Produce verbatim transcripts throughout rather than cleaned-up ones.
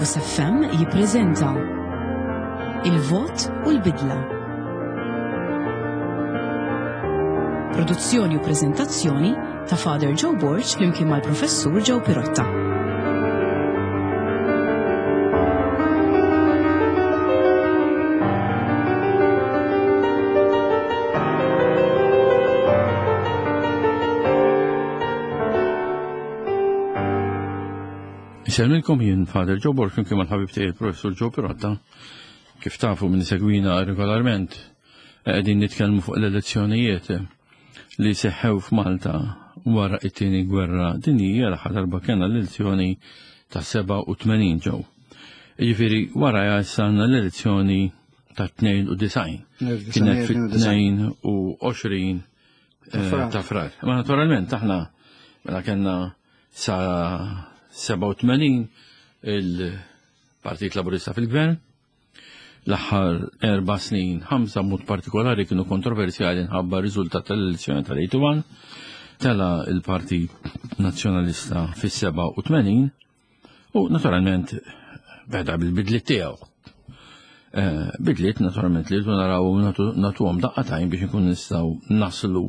Logos F M jippreżenta Il-Vot u l-Bidla. Produzzjoni u preżentazzjoni ta' Father Joe Borg flimkien mal-Professur Joe Pirotta. Insellmilkom jien Father Joe Borg flimkien mal-ħabib tiegħi il-Professur Joe Pirotta. Kif tafu minn segwina regolarment, qegħdin nitkellmu fuq l-elezzjonijiet li seħħew f'Malta wara it-tieni gwerra dinjija, l-aħħar darba kellna l-elezzjoni ta' seba' u tmenin ġew. Jiġifieri wara issa għandna l-elezzjoni ta' tnejn u disgħin. Kienet fit-tnejn u għoxrin, eh, ta' Frar. Ma naturalment aħna mela kellna sa seba' u tmenin il-Partit Laburista fil-Gvern. L-aħħar erba' snin, ħamsa mod partikolari kienu kontroversjali nħabba riżultat tal-elezzjoni tal-eighty-one. Tela il-Partit Nazzjonalista fis-seba' u tmenin u naturalment beda bil-bidliet tiegħu. Eh, bidliet naturalment li rridu naraw u natu-, nagħtuhom daqqatajn biex inkun nistgħu naslu,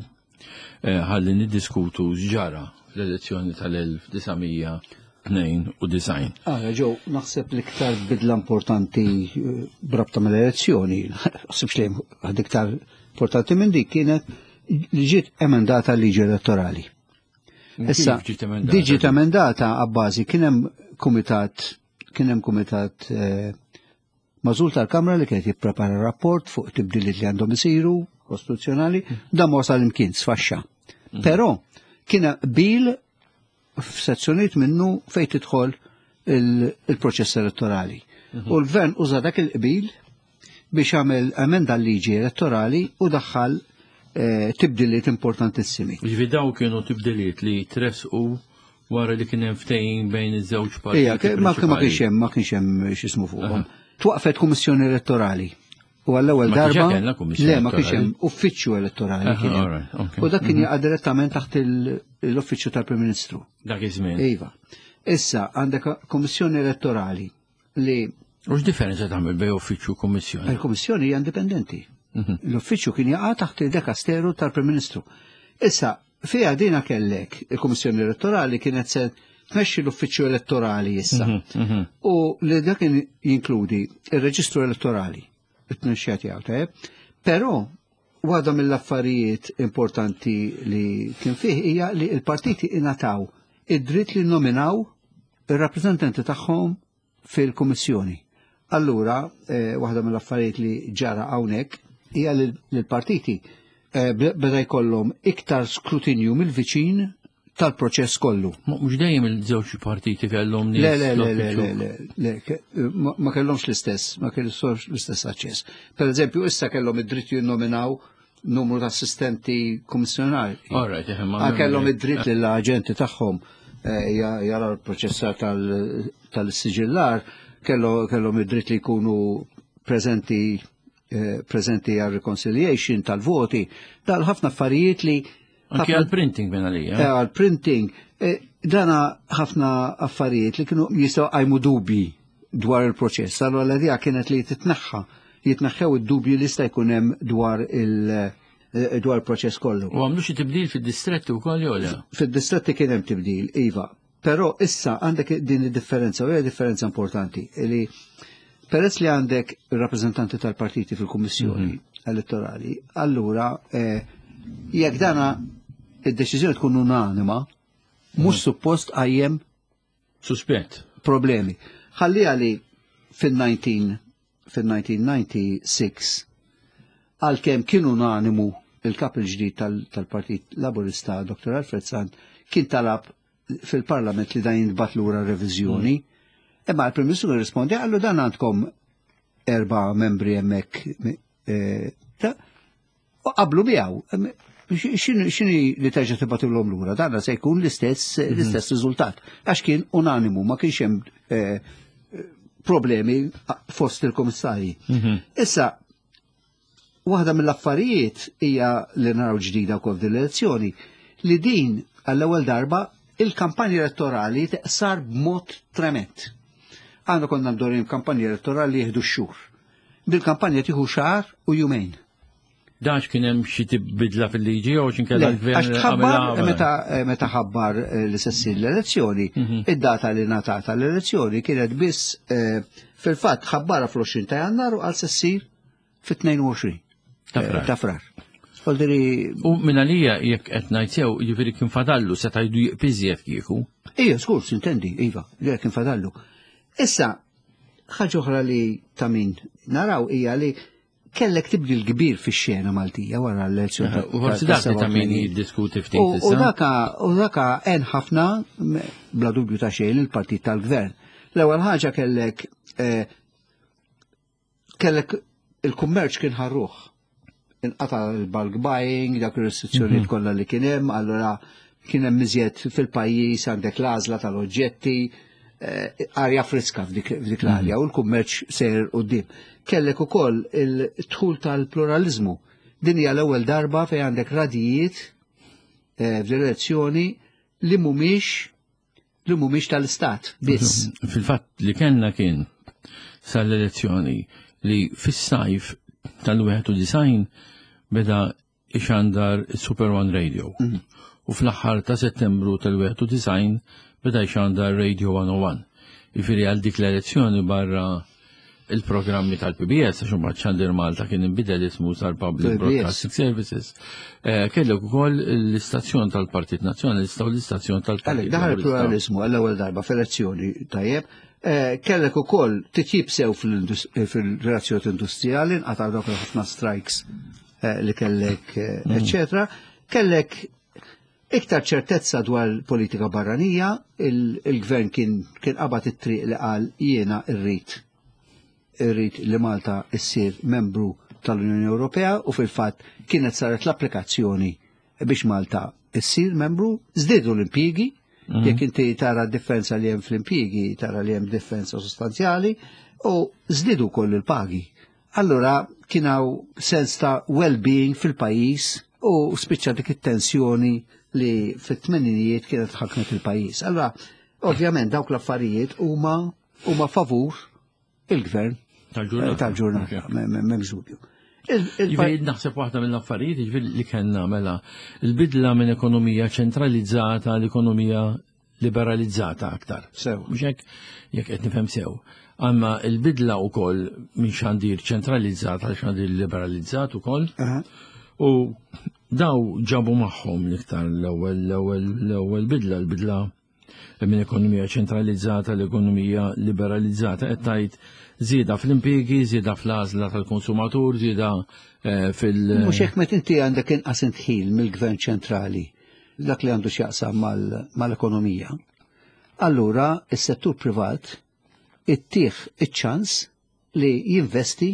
eh, ħalli niddiskutu x'ġara fl-elezzjoni tal-elf disa' mija tnejn u disgħin. Ah, Ġew, naħseb l-iktar bidla importanti, eh, b'rabta mal-elezzjoni, naħsibx li hemm għad iktar importanti minn dik, kienet li ġiet emendata l-liġi elettorali. Kif Issa, ġiet emendata? Di ġiet emendata għabbażi kien hemm kumitat, kien hemm kumitat, eh, magħżul tal-Kamra li kienet jipprepara rapport fuq tibdiliet li għandhom isiru kostituzzjonali, dan ma wasal imkien, sfaxxa. Mm. Però kien hemm qbil f'sezzjonijiet minnu fejn tidħol il-, il-proċess elettorali. Mhm. U l-gvern uża dak il-qbil biex għamel emenda l-liġi elettorali u daħħal, eh, tibdiliet importantissimi. Jiġifieri daw kienu tibdiliet li tresqu wara li kien hemm ftehim bejn iż-żewġ partiti Ija, ke-, ma-, ma prinċipali. kienx hemm, ma kienx hemm x'ismu fuqhom. Aha. Twaqfet kummissjoni elettorali. U għall-ewwel Ma kienx darba hemm kellna kummissjoni Le, ma kienx hemm elettorali. uffiċċju elettorali Aha, kien hemm. all right, okay. U dak kien Mhm. jaqa' direttament taħt il-, l-uffiċċju tal-Prim Ministru. Dak iż-żmien. Iva. Issa għandek kummissjoni elettorali li U x'differenza tagħmel bejn uffiċċju u kummissjoni? Il-kummissjoni hija indipendenti. Mhm. L-uffiċċju kien jaqa' taħt il-dekasteru tal-Prim Ministru. Issa, fiha dina kellek il-Kummissjoni Elettorali kienet se tmexxi l-uffiċċju elettorali issa. Mhm, mhm. U li dak kien jinkludi il-reġistru elettorali, it-tmexxija tiegħu, tajjeb. Però waħda mill-affarijiet importanti li kien fih hija li l-partiti ingħataw id-dritt li nominaw ir-rappreżentanti tagħhom fil-Kummissjoni. Allura, eh, waħda mill-affarijiet li ġara hawnhekk hija li l-partiti, eh, beda jkollhom iktar skrutinju mill-viċin tal-proċess kollu. Ma mhux dejjem il-żewġ partiti kellhom nies Le, le, le, le, l-uffiċċju. le, le, le, ke-, ma, ma kellhomx l-istess, ma kellhomx l-istess aċċess. Per eżempju, issa kellhom id-dritt jinnominaw numru ta' assistenti kummissjonari. All right, eh, ma Ah, kellhom id-dritt li l-aġenti tagħhom, eh, ja-, jara l-proċessar tal-, tal-siġillar, kello-, kellhom id-dritt li jkunu preżenti, eh, preżenti għal reconciliation tal-voti, dal ħafna affarijiet li Anki ħafna għal-printing minn għalija. Eh, għal-printing, eh, dana ħafna affarijiet li kienu jistgħu qajmu dubji dwar il-proċess. Allora l-idea kienet li titneħħa, jitneħħew id-dubji li jista' jkun hemm dwar il-, eh, dwar il-proċess kollu. U għamlu xi tibdil fid-distretti wkoll jew le? Fid-distretti kien hemm tibdil, iva. Però issa għandek din id-differenza, u hija differenza importanti, li peress li għandek rappreżentanti tal-partiti fil-Kummissjoni Mhm. elettorali, allura, eh, jekk dana id-deċiżjoni tkun unanima, mhux Mhm. suppost qajjem suspett problemi. Ħalli għali fil-nineteen, fil-nineteen ninety-six, għalkemm kien unanimu il-kap il-ġdid tal-, tal-Partit Laburista, Doktor Alfred Sant, kien talab fil-Parlament li dan jintbagħat lura reviżjoni. Mm. Imma l-Prim Ministru rispondi, għallu dan għandkom erba' membri hemmhekk, eh, ta' u qablu miegħu. X'inhi, x'inhi li terġa' tibgħatulhom lura? Dan se jkun l-istess, Mhm. l-istess riżultat. Għax kien unanimu, ma kienx hemm, eh, problemi fost il-komissarji. Mhm. Issa, waħda mill-affarijiet hija li naraw ġdida wkoll din l-elezzjoni, li din għall-ewwel darba il-kampanja elettorali teqsar b'mod trement. Għandna konna mdorrijin kampanja elettorali li jieħdu x-xhur. Dil-kampanja tieħu xahar u jumejn. Dax kien hemm xi bidla fil-liġi jew x'inkella l-gvern Għax tħabbar meta meta ħabbar eh, li se ssir l-elezzjoni, Mhm. id-data li ngħatat l-elezzjoni kienet biss eh, fil-fatt ħabbara fl-għoxrin ta' Jannar u għal se ssir fit-tnejn u għoxrin Ta' Frar. eh, Ta' Frar. Voldiri, U minn għalija jekk qed ngħid sew, jiġifieri kien fadallu seta' jdu jiqpiżjed kieku. Ija, skur, sintendi, iva, li kien fadallu. Issa, ħaġa oħra li ta' min naraw hija li kellek tibdil kbir fix-xena Maltija wara l-elezzjoni. ta- U forsi ta' dak li ta' min sebgħa u tmenin. jiddiskuti ftit U u issa. daka, u daka għen ħafna, m- bla dubju ta' xejn, il-partit tal-gvern. L-ewwel ħaġa kellek eh, kellek il-kummerċ kien ħarruħ. Inqata l-bulk buying, dak ir-restrizzjonijiet kollha li kien hemm, allura kien hemm iżjed fil-pajjiż, għandek l-għażla tal-oġġetti, eh, arja friska f'dik f'dik l-arja u l-kummerċ sejr quddiem. Kellek ukoll il-dħul tal-pluralizmu. Din hija l-ewwel darba fejn għandek radijiet eh, f'direzzjoni li mhumiex li mhumiex tal-istat biss. Fil-fatt li kellna kien sal-elezzjoni li fis-sajf tal-wieħed u disgħin beda ixandar Super One Radio. U fl-aħħar ta' Settembru tal-wieħed u disgħin beda ixandar Radio mija u wieħed. Jiġifieri għal dik l-elezzjoni, barra il-programmi tal-P B S, għax imbagħad Xandir Malta kien inbidel ismu sar Public P B S. Broadcasting Services, eh, kellek ukoll l-istazzjon tal-Partit Nazzjonalista u l-istazzjon tal-Partit Għalek, daħal Laburista. il-pluralizmu għall-ewwel darba f'elezzjoni, tajjeb, eh, kellek ukoll titjib sew fil-indus- eh, fil-relazzjoni industrijali, nqata' dawk ħafna strikes eh, li kellek, eh, eccetera. Kellek iktar ċertezza dwar politika barranija, il- il-gvern kien kien qabad it-triq li qal jiena irrid irrid li Malta issir membru tal-Unjoni Ewropea, u fil-fatt kienet saret l-applikazzjoni biex Malta issir membru. Żdiedu l-impjiegi, jekk inti tara d-differenza li hemm fl-impjiegi, tara li hemm differenza sostanzjali, u żdiedu koll il-pagi. Allura kien hawn sens ta' well-being fil-pajjiż u spiċċa dik it-tensjoni li fit-tmeninijiet kienet ħakmet il-pajjiż. Allura, ovvjament dawk l-affarijiet huma huma favur il-gvern Tal-ġurnata. Tal-ġurnata, m'hemmx dubju. Il- il- Jiġifieri naħseb waħda mill-affarijiet, jiġifieri li kellna mela il-bidla minn ekonomija ċentralizzata l-ekonomija liberalizzata aktar. Sew. Mhux hekk, jekk qed nifhem sew? Imma il-bidla wkoll minn xandir ċentralizzat għal xandir liberalizzat ukoll. Aha. U daw ġabu magħhom l-iktar l-ewwel l-ewwel l-ewwel bidla, l-bidla minn ekonomija ċentralizzata l-ekonomija liberalizzata, qed tgħid żieda fl-impjiegi, żieda fl-għażla tal-konsumatur, żieda eh, fil- Mhux hekk, meta inti għandek inqas indħil mill-gvern ċentrali dak li għandu x'jaqsam mal- mal-ekonomija. Allura is-settur privat ittih iċ-ċans li jinvesti,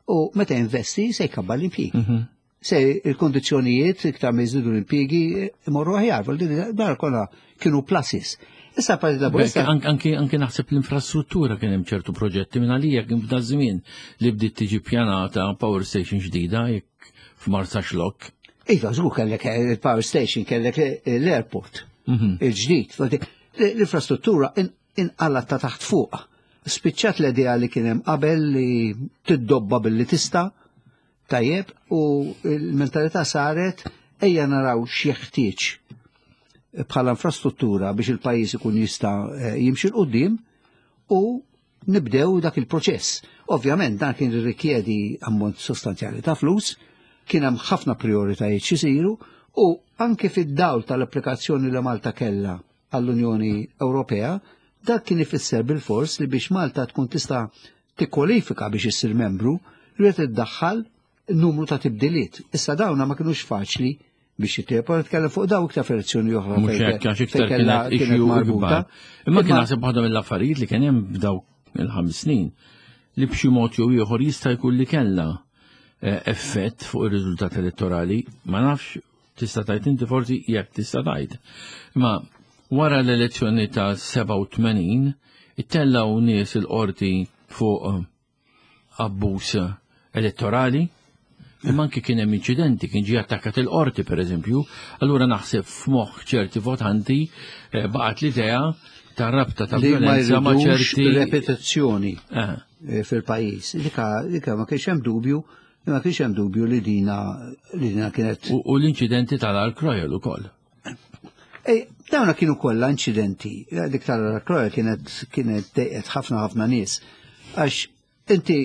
u meta jinvesti se jkabbar l-impjiegi. Mhm. Se il-kondizzjonijiet iktar ma jżidu l-impjiegi imorru aħjar, vol din dar kollha kienu pluses. Issa Partit Laburista Bekk, anki anki naħseb l-infrastruttura, kien hemm ċertu proġetti, minn għalija kien f'da żmien li bdiet tiġi pjanata power station ġdida jekk f'Marsaxlokk. Iva, żgur, kellek il-power station, kellek l-airport, Mhm. il-ġdid. L-infrastruttura inqalat ta' taħt fuq. Spiċċat l-idea li kien hemm qabel li tiddobba billi tista', tajjeb, u l-mentalità saret ejja naraw x'jeħtieġ bħala infrastruttura biex il-pajjiż ikun jista' eh, jimxi 'l quddiem u nibdew dak il-proċess. Ovvjament dan kien rikjedi ammont sostanzjali ta' flus, kien hemm ħafna prioritajiet xisiru, u anke fid-dawl tal-applikazzjoni li Malta kellha għall-Unjoni Ewropea, dak kien ifisser bil-fors li biex Malta tkun tista' tikkwalifika biex issir membru, rrid iddaħħal numru ta' tibdiliet. Issa dawna ma kinux faċli biex jitiebu, nitkellem fuq daw iktar f'elezzjoni oħra. Mhux fejn- hekk, għax iktar fejn kellha- kienet kienet issue marbuta. ikbar. Imma kien naħseb waħda mill-affarijiet li kien hemm f'dawk il-ħames snin li b'xi mod jew ieħor jista' jkun li kellha eh, effett fuq ir-riżultat elettorali, ma nafx, tista' tgħid inti forsi jekk tista' tgħid. Imma wara l-elezzjoni ta' sebgħa u tmenin ittellgħu nies il-qorti fuq eh, abbuż elettorali. Imma anki kien hemm inċidenti, kien ġie attakkat il-qorti pereżempju, allura naħseb f'moħħ ċerti votanti eh, baqgħet l-idea ta' rabta ta' Li ma violenza ma' jridux ċerti repetizzjoni Eh, eh, fil-pajjiż. Dika dika ma kienx hemm dubju, ma kienx hemm dubju li dina li dina kienet U u l-inċidenti tal-Ark Royal ukoll. Ej, dawna kienu kollha inċidenti. Dik tal-Royal kienet kienet dejqet ħafna ħafna nies. Għax inti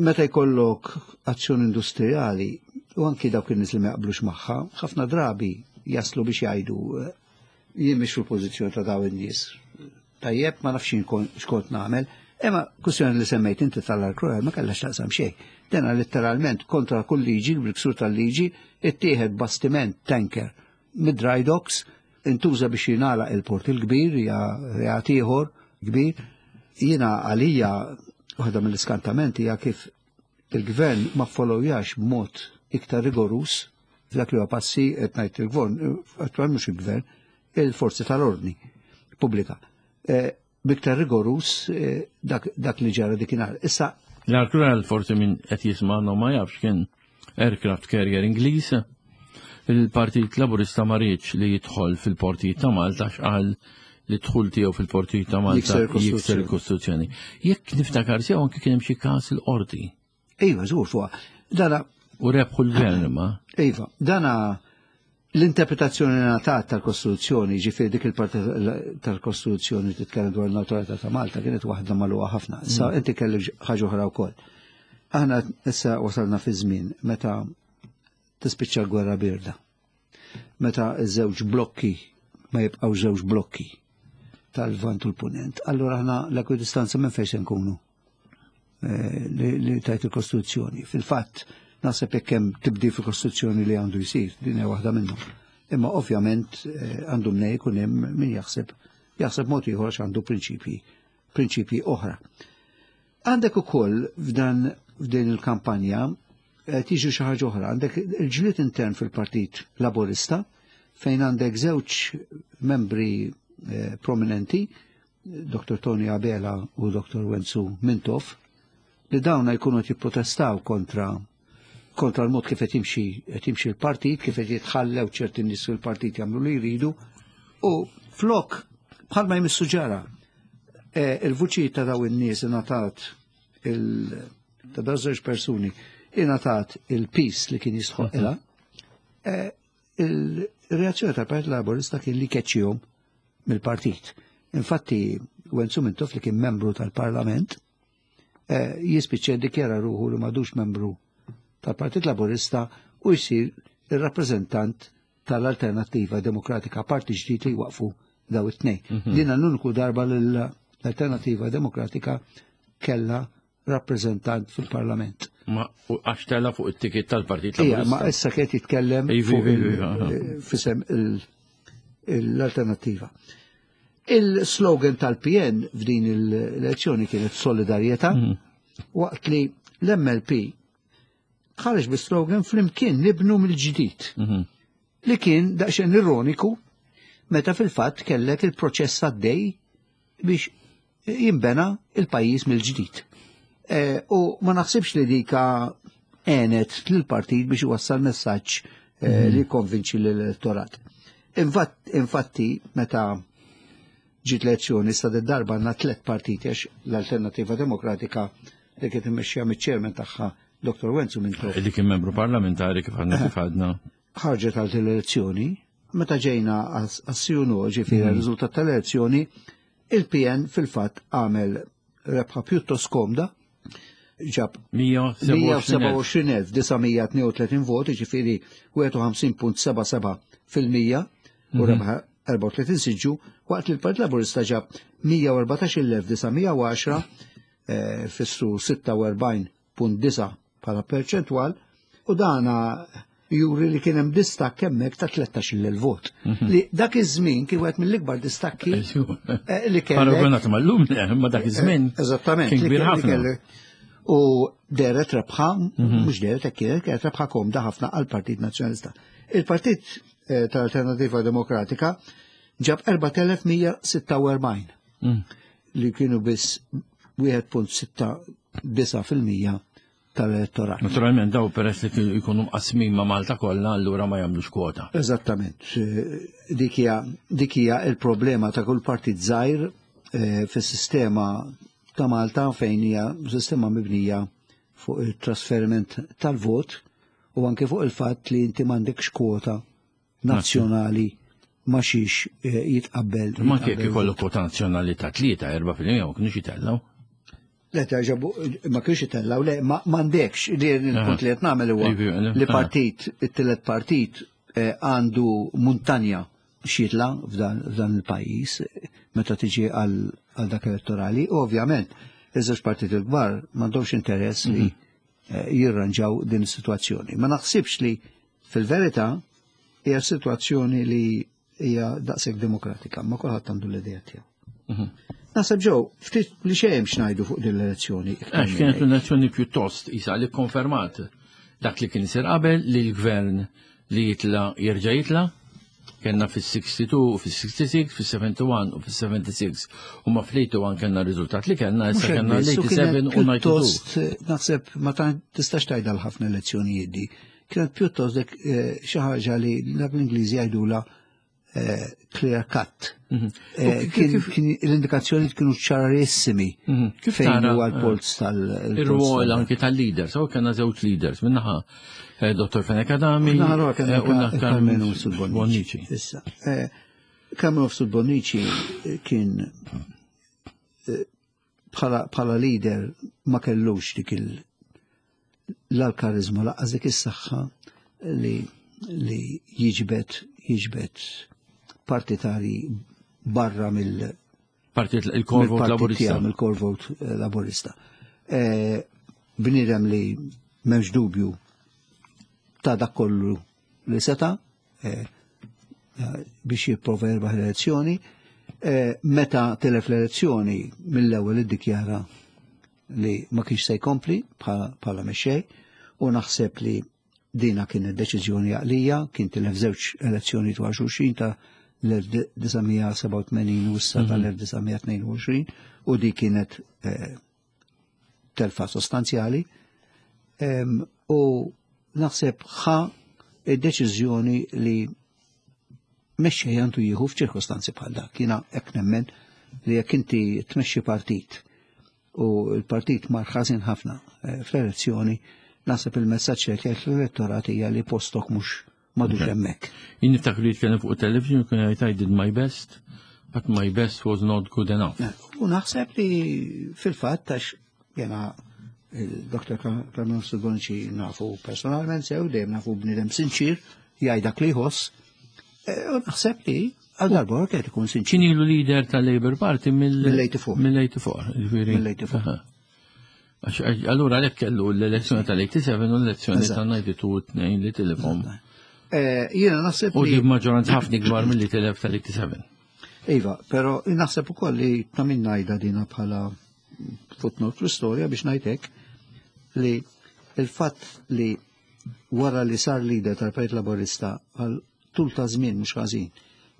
meta jkollok azzjoni industrijali u anki dawk in-nies li ma jaqblux magħha, ħafna drabi jaslu biex jgħidu eh, jien mhix fil-pożizzjoni ta' dawn in-nies. Tajjeb ma nafx jien kon- x'kont nagħmel. Imma kwistjoni li semmejt inti tal-Ark Royal ma kellha x'taqsam xejn. Dena letteralment kontra kull liġi, bil-ksur tal-liġi, ittieħed bastiment tanker mid-dry docks, intuża biex jingħalaq il-port il-kbir, ja reat ieħor kbir. Jiena għalija waħda mill-iskantamenti hija kif il-gvern ma followjax b'mod iktar rigorus f'dak li huwa passi qed ngħid il-gvern, attwal mhux il-gvern, il-forzi tal-ordni pubblika. Eh, B'iktar rigorus eh, dak, dak li ġara dikinhar. Issa L-Ark Royal forsi min qed jisma'na ma jafx kien aircraft carrier Ingliż. Il-Partit Laburista ma riedx li jidħol fil-portijiet ta' Malta x'qal li dħul tiegħu fil-portijiet ta' Malta Jikser il-Kostituzzjoni. jikser il-Kostituzzjoni. Jekk niftakar sew anke kien hemm xi każ il-qorti Iva, żgur fuqha. Dana u rebħu l-gvern imma. Iva, dana l-interpretazzjoni ngħatat tal-Kostituzzjoni, ġifieri dik il-parti tal-Kostituzzjoni titkellem dwar il-newtralità ta' Malta kienet waħda magħluqa ħafna. Issa inti kellek ħaġa oħra wkoll. Aħna issa wasalna fi żmien meta tispiċċa l-gwerra birda. Meta ż-żewġ blokki ma jibqgħu żewġ blokki tal-Lvant u l-Punent. Allura aħna l-ekwidistanza minn fejn se nkunu? Eh, li, li tajt il-Kostituzzjoni. Fil-fatt, naħseb jekk hemm tibdil fil-Kostituzzjoni li għandu jsir, din hija waħda minnhom. Imma ovvjament eh, għandu mnej jkun hemm min jaħseb jaħseb mod ieħor għax għandu prinċipji prinċipji oħra. Għandek ukoll f'dan f'din il-kampanja eh, tiġi xi ħaġa oħra, għandek il-ġlied intern fil-Partit Laburista fejn għandek żewġ membri eh, prominenti, Dr. Tony Abela u Dr. Wenzu Mintoff, li dawna jkunu qed jipprotestaw kontra kontra l-mod kif qed jimxi qed jimxi l-partit, kif qed jitħallew ċerti nies fil-partit jagħmlu li jridu, u flok bħalma jmissu ġara eh, il-vuċi ta' daw in-nies ingħatat il ta' daw żewġ persuni ingħatat il-peace li kien jistħoqilha, eh, il-reazzjoni tal-Partit Laburista kien li keċċihom mill-partit. Infatti, Wenzu Mintoff li kien membru tal-Parlament, eh, jispiċċa dikjara ruħu li m'għadux membru tal-Partit Laburista u jsir il-rappreżentant tal-Alternativa Demokratika, parti ġdid li waqfu daw it-tnejn. Dina l-uniku darba l-Alternativa Demokratika kella rappreżentant fil-Parlament. Ma u għax tela fuq it-ticket tal-Partit Ija, ma Laburista. issa kiet jitkellem Ivi, fuq ivi, il- ivi, aha. fisem il- l-alternativa. Il-slogan tal-PN f'din l-elezzjoni kienet solidarjetà, waqt li l-MLP ħareġ bi-slogan flimkien nibnu mill-ġdid, Mhm. li kien daqsxejn ironiku meta fil-fatt kellek il-proċess għaddej biex jimbena il-pajjiż mill-ġdid. Eh, U ma naħsibx li dika għenet lill-partit biex iwassal messaġġ eh, li konvinċi l-elettorat. Infatt- Infatti, meta ġiet l-elezzjoni sta darba għandna tliet partiti għax l-Alternativa Demokratika li kienet immexxija miċ-chairman tagħha Dr. Wenzu Mintoff Li kien membru parlamentari kif għadna kif għadna. ħarġet għal l-elezzjoni, meta ġejna għas-sjunu ġifieri r-riżultat tal-elezzjoni, il-PN fil-fatt għamel rebħa pjuttost komda, ġab mija u sebgħa u għoxrin mija u sebgħa u għoxrin elf disa' mija u tnejn u tletin vot, ġifieri wieħed u ħamsin punt seba' seba' fil-mija u rebħa erbgħa u tletin siġġu, waqt li l-Partit Laburista ġab mija u erbatax-il elf disa' mija u għaxra, eh, fissu sitta u erbgħin punt disa' bħala perċentwal, u dana juri li kien hemm distakk hemmhekk ta' tlettax-il elf vot. Li dak iż-żmien kien wieħed mill-ikbar distakki eh, li kellek. Paragonat mal-lum, ma dak iż-żmien. Eżattament. Kien li kbir kelli- ħafna. kelli- U deret rebħa, mhux deret hekk kienet, kienet rebħa komda ħafna għall-Partit Nazzjonalista. Il-Partit eh, tal-Alternativa Demokratika ġab erbat elef mija sitta u erbgħin Mm. li kienu biss wieħed punt sitta disa' fil-mija tal-elettorat. Naturalment daw peress li jkunu mqasmin ma' Malta kollha, allura ma jagħmlux kwota. Eżattament. Dik hija dik hija l-problema ta' kull partit żgħir eh, fis-sistema ta' Malta, fejn hija sistema mibnija fuq il-trasferiment tal-vot u anke fuq il-fatt li inti m'għandekx kwota nazzjonali ma xiex eh, jitqabbel. Ma kif ikollu kwota nazzjonali ta' tlieta, erba' fil-mija ma kienux jitellgħu. Le, terġabu, ma kienx jitellaw, le, ma m'għandekx, li l-punt li qed nagħmel huwa li partit, it-tielet partit eh, għandu muntanja xitla f'dan il-pajjiż meta tiġi għal dak elettorali. Ovvjament, iż-żewġ partiti l-kbar m'għandhomx interess li eh, jirranġaw din is-sitwazzjoni. Ma naħsibx li fil-verità hija sitwazzjoni li hija daqshekk demokratika, ma kulħadd għandu l-idea tiegħu. Naħseb ġew, ftit li xejn x'ngħidu fuq din l-elezzjoni. Għax kienet l-elezzjoni pjuttost isa li konfermat dak li kien isir qabel, li l-gvern li jitla jerġa' jitla, kellna fis-sixty-two, fis-sixty-six, fis-seventy-one u fis-seventy-six. U ma fl-eighty-one kellna r-riżultat li kellna, issa kellna l-eighty-seven u ninety-two. Pjuttost, naħseb ma tistax tgħidha ħafna elezzjonijiet di. Kienet pjuttost dik xi ħaġa li dak l-Ingliżi jgħidula clear cut. Kien l-indikazzjoni kienu ċarissimi Kif fejn tara, huwa l-polz tal- Ir-rwol anki tal-leaders, so kellna żewġ leaders, minnaħa Dottor Fenech Adami Minnaħa l-oħra kellna u naħa Karmenu Mifsud Bonnici. Bonnici. Issa, Karmenu Mifsud Bonnici kien bħala leader ma kellux dik l-karizma laqqas dik is-saħħa li li jiġbed jiġbed partitari barra mill Partit il-core vote mill-partit laburista. tiegħu, mill-core vote laburista. Bniedem li m'hemmx dubju ta' dak kollu li seta' biex jipprova jirbaħ l-elezzjoni. Meta telef l-elezzjoni mill-ewwel iddikjara li ma kienx se jkompli bħala mexxej, u naħseb li dina kienet deċiżjoni għaqlija, kien tilef żewġ elezzjoni dwar xulxin ta' l-elf disa' mija sebgħa u tmenin u issa tal-elf disa' mija tnejn u għoxrin, u di kienet telfa sostanzjali. U naħseb ħa id-deċiżjoni li mexxej għandu jieħu f'ċirkostanzi bħal dak. Jiena hekk nemmen li jekk inti tmexxi partit u l-partit mar ħażin ħafna fl-elezzjoni, naħseb il-messaġġ li qed l-elettorat hija li postok mhux madux hemmhekk. Jien niftakru li jitkellem fuq television kien jgħid I did my best, but my best was not good enough. U naħseb li fil-fatt għax jena il-Doktor Karmenu Mifsud Bonnici nafu personalment sew, dejjem nafu bniedem sinċir, jgħid dak li jħoss. U naħseb li għal darba qed ikun sinċir. Kien ilu leader tal-Labour Party mill- Mill-eighty-four. mill-eighty-four, jiġifieri. Mill-eighty-four. Aha. Għax, allura għalhekk kellu l-elezzjoni tal-eighty-seven u l-elezzjoni Eżatt. tal-ninety-two u tnejn li tilifhom. Jiena naħseb U li di maġġoranza ħafna ikbar milli tilef tal-eighty-seven. Iva, però naħseb ukoll li ta' min ngħidha dina bħala footnote fl-istorja biex ngħidlek li il-fatt li wara li sar leader tal-Partit Laburista għal tul ta' żmien mhux ħażin,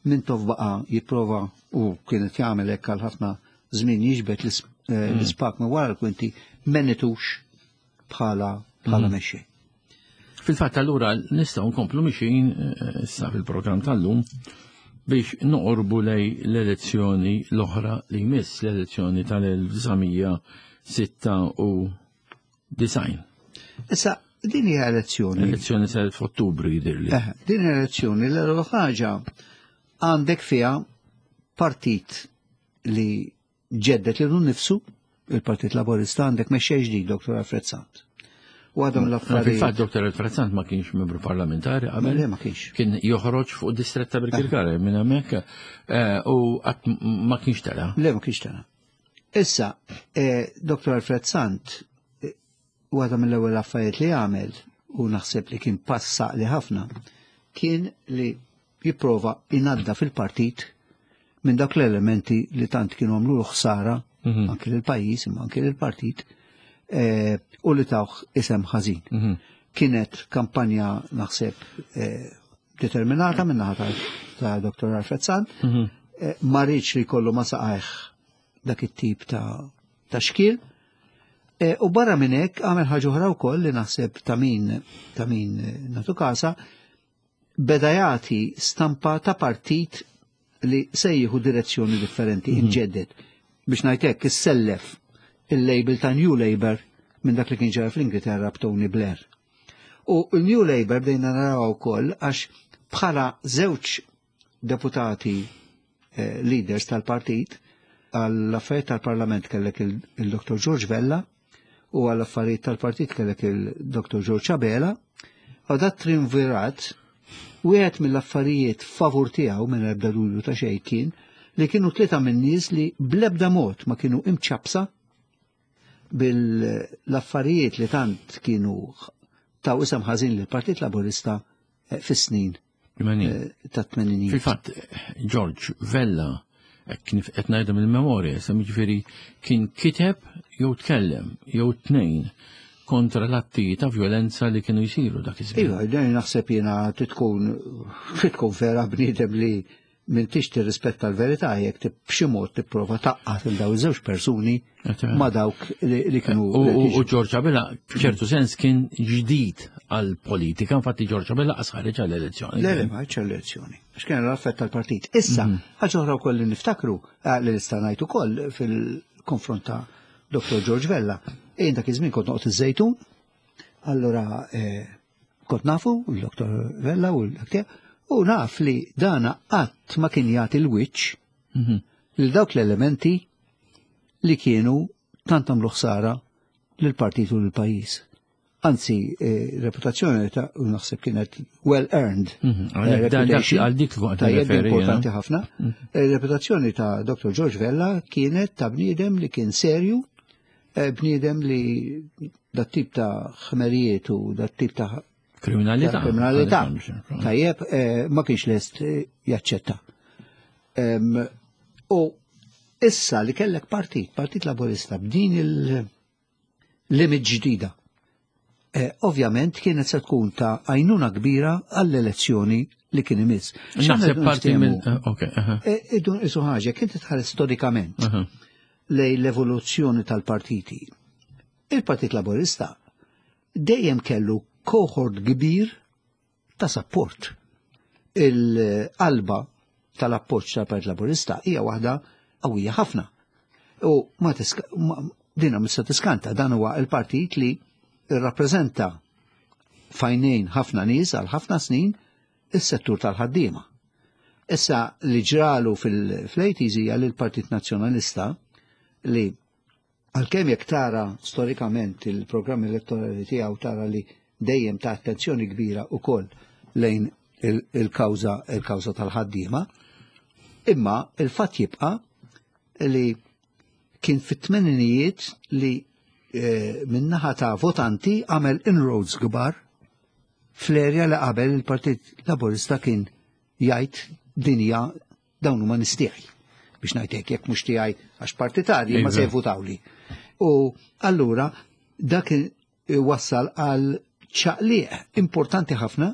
Mintoff baqa' jipprova u kienet jagħmel hekk għal ħafna żmien jiġbed l-ispak minn wara l-kwinti, menitux bħala bħala mexxej. Fil-fatt allura nistgħu nkomplu mixin issa fil-programm tal-lum biex noqorbu lej l-elezzjoni l-oħra li jmiss, l-elezzjoni tal-elf disa' mija sitta u disgħin. Issa, din hija elezzjoni. L-elezzjoni saret f'Ottubru jidhirli. Eh, din hija elezzjoni l-ewwel ħaġa għandek fiha partit li ġeddet lilu nnifsu, il-Partit Laburista, għandek mexxej ġdid, Doktor Alfred Sant. U għadhom l-affarijiet. Fil-fatt Doktor Alfred Sant ma kienx membru parlamentari qabel. Le, ma kienx. Kien joħroġ fuq distretta Birkirkara minn hemmhekk, eh, u qatt ma kienx tela. Le, ma kienx tela. Issa, eh, Doktor Alfred Sant, eh, waħda mill-ewwel affarijiet li għamel, u naħseb li kien passa li ħafna, kien li jipprova inadda fil-partit minn dak l-elementi li tant kienu għamlu ħsara Mhm. anke lill-pajjiż imma anke lill-partit, eh, u li tawh isem ħażin. Mhm. Kienet kampanja naħseb, eh, determinata minn naħa ta', ta' Doktor Alfred Sant, Mhm. eh, ma rridx li jkollu ma saqajh dak it-tip ta', ta' xkil, E, u barra minn hekk għamel ħaġa oħra wkoll li naħseb ta' min ta' min nagħtu kasa, beda jagħti stampa ta' partit li se jieħu direzzjoni differenti, mm -hmm. inġeddet. Biex ngħid hekk, issellef il-label ta' New Labour minn dak li kien ġara fl-Ingilterra b'Tony Blair. U il-New Labour bdejna naraw ukoll għax bħala żewġ deputati eh, leaders tal-partit, għall-affarijiet tal-Parlament kellek il-Dottor George Vella u għall-affarijiet tal-partit kellek il-Dottor George Abela, u dat triumvirat wieħed mill-affarijiet favur tiegħu minn ebda dubju ta' xejn kien li kienu tlieta minn nies li bl-ebda mod ma kienu imċapsa bil-affarijiet li tant kienu taw isem ħażin lill-Partit Laburista eh, fis-snin eh, ta' tmeninijiet. Fil-fatt, George Vella, kif qed ngħidha mill-memorja, sa jiġifieri kien kiteb jew tkellem jew tnejn kontra l-atti ta' violenza li kienu jsiru dak iż-żmien. Iva, dan naħseb jiena tkun tkun vera bniedem li m'intix tirrispetta l-verità jekk b'xi mod tipprova taqqat il daw iż-żewġ persuni ma dawk li kienu. U George Abela f'ċertu sens kien ġdid għal-politika, infatti George Abela qas ħareġ għall-elezzjoni. Le, le, ma ħareġ għall-elezzjoni. Għax kien l-affett tal-partit. Issa, ħaġa oħra wkoll li niftakru li nista' ngħid ukoll fil-konfront ta' Dottor George Vella. Jien dak iż-żmien kont noqgħod iż-Żejtun, allura kont nafu l-Dottor Vella u l-dak u naf li dana qatt ma kien jagħti l-wiċċ lil dawk l-elementi li kienu tant għamlu ħsara lill-partit u lill-pajjiż. Anzi, reputazzjoni ta' naħseb kienet well earned. Għal dik li Tajjeb, importanti ħafna. Reputazzjoni ta' Dottor George Vella kienet ta' bniedem li kien serju, bniedem li dat tip ta' ħmerijiet u dat tip ta' kriminalità. Kriminalità. Tajjeb, ma kienx lest jaċċetta. U issa li kellek partit, Partit Laburista, b'din il-limit ġdida, ovvjament kienet se tkun ta' għajnuna kbira għall-elezzjoni li kien imiss. Naħseb parti minn. Ok. Idun isu ħaġa, kien titħares storikament lej l-evoluzzjoni tal-partiti. Il-Partit Laburista dejjem kellu cohort kbir ta' support. Il-qalba tal-appoġġ tal-Partit Laburista hija waħda qawwija ħafna. U ma dina mista tiskanta, dan huwa il-partit li rrappreżenta fajnejn ħafna nies għal ħafna snin is-settur tal-ħaddiema. Issa li ġralu fil-eighties hija li l-Partit Nazzjonalista li għalkemm jekk tara storikament il-programm elettorali tiegħu tara li dejjem ta' attenzjoni kbira ukoll lejn il-kawża il-kawża tal-ħaddiema, imma il-fatt jibqa' li kien fit-tmeninijiet li minnaħa ta' votanti għamel inroads kbar fl-erja li qabel il-Partit Laburista kien jgħid dinja dawn huma nies tiegħi. Biex ngħid hekk, jekk mhux tiegħi għax partitarji ma se jvutawli. U allura dak wassal għal ċaqliq importanti ħafna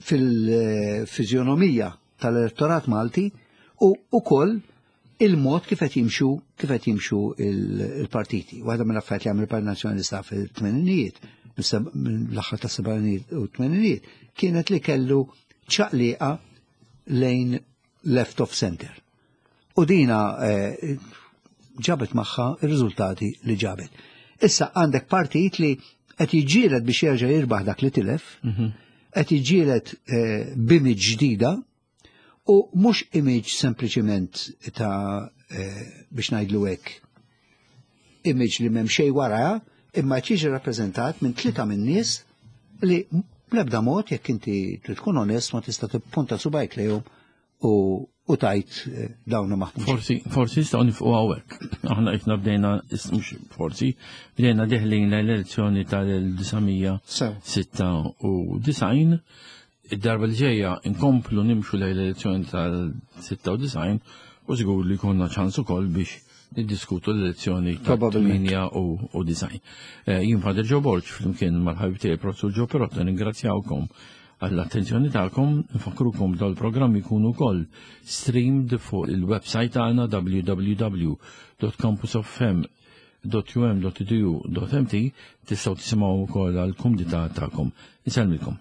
fil-fiżjonomija tal-elettorat Malti u ukoll il-mod kif qed jimxu kif qed jimxu il-partiti. Waħda mill-affarijiet li għamel il-Partit Nazzjonalista fil-tmeninijiet, mill-aħħar tas-sebgħinijiet u t-tmeninijiet, kienet li kellu ċaqliqa lejn left of center. U dina ġabet magħha ir-riżultati li ġabet. Issa għandek partit li qed jiġġieled biex jerġa' jirbaħ dak li tilef, qed jiġġieled b'image ġdida u mhux image sempliċiment ta' biex ngħidlu hekk, image li m'hemm xejn wara, imma qed jiġi rappreżentat minn tlieta minn nies li bl-ebda mod jekk inti trid tkun onest ma tista' tippunta subajk lejhom u u tajt dawn maħmuġ. Forsi, forsi nistgħu nifqu hawnhekk. Aħna qed bdejna, mhux forsi, bdejna deħlin l-elezzjoni tal-elf sitta u disgħin. Id-darba li ġejja nkomplu nimxu lejn l-elezzjoni tal-sitta u disgħin u żgur li jkollna ċans ukoll biex niddiskutu l-elezzjoni tal-tmienja u disgħin. Jien Father Joe Borg flimkien mal-ħabib tiegħi Professur Joe Pirotta ningrazzjawkom għall-attenzjoni tagħkom, nfakrukom dawn il-programmi jkunu wkoll streamed fuq il-website tagħna w w w dot campus of f m dot U M dot E D U dot M T tistgħu tisimgħu wkoll għall-kumdità tagħkom. Insellmilkom.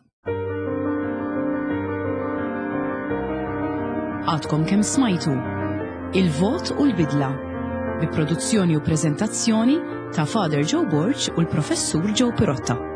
Għadkom kemm smajtu Il-Vot u l-Bidla bi produzzjoni u preżentazzjoni ta' Father Joe Borg u l-Professur Joe Pirotta.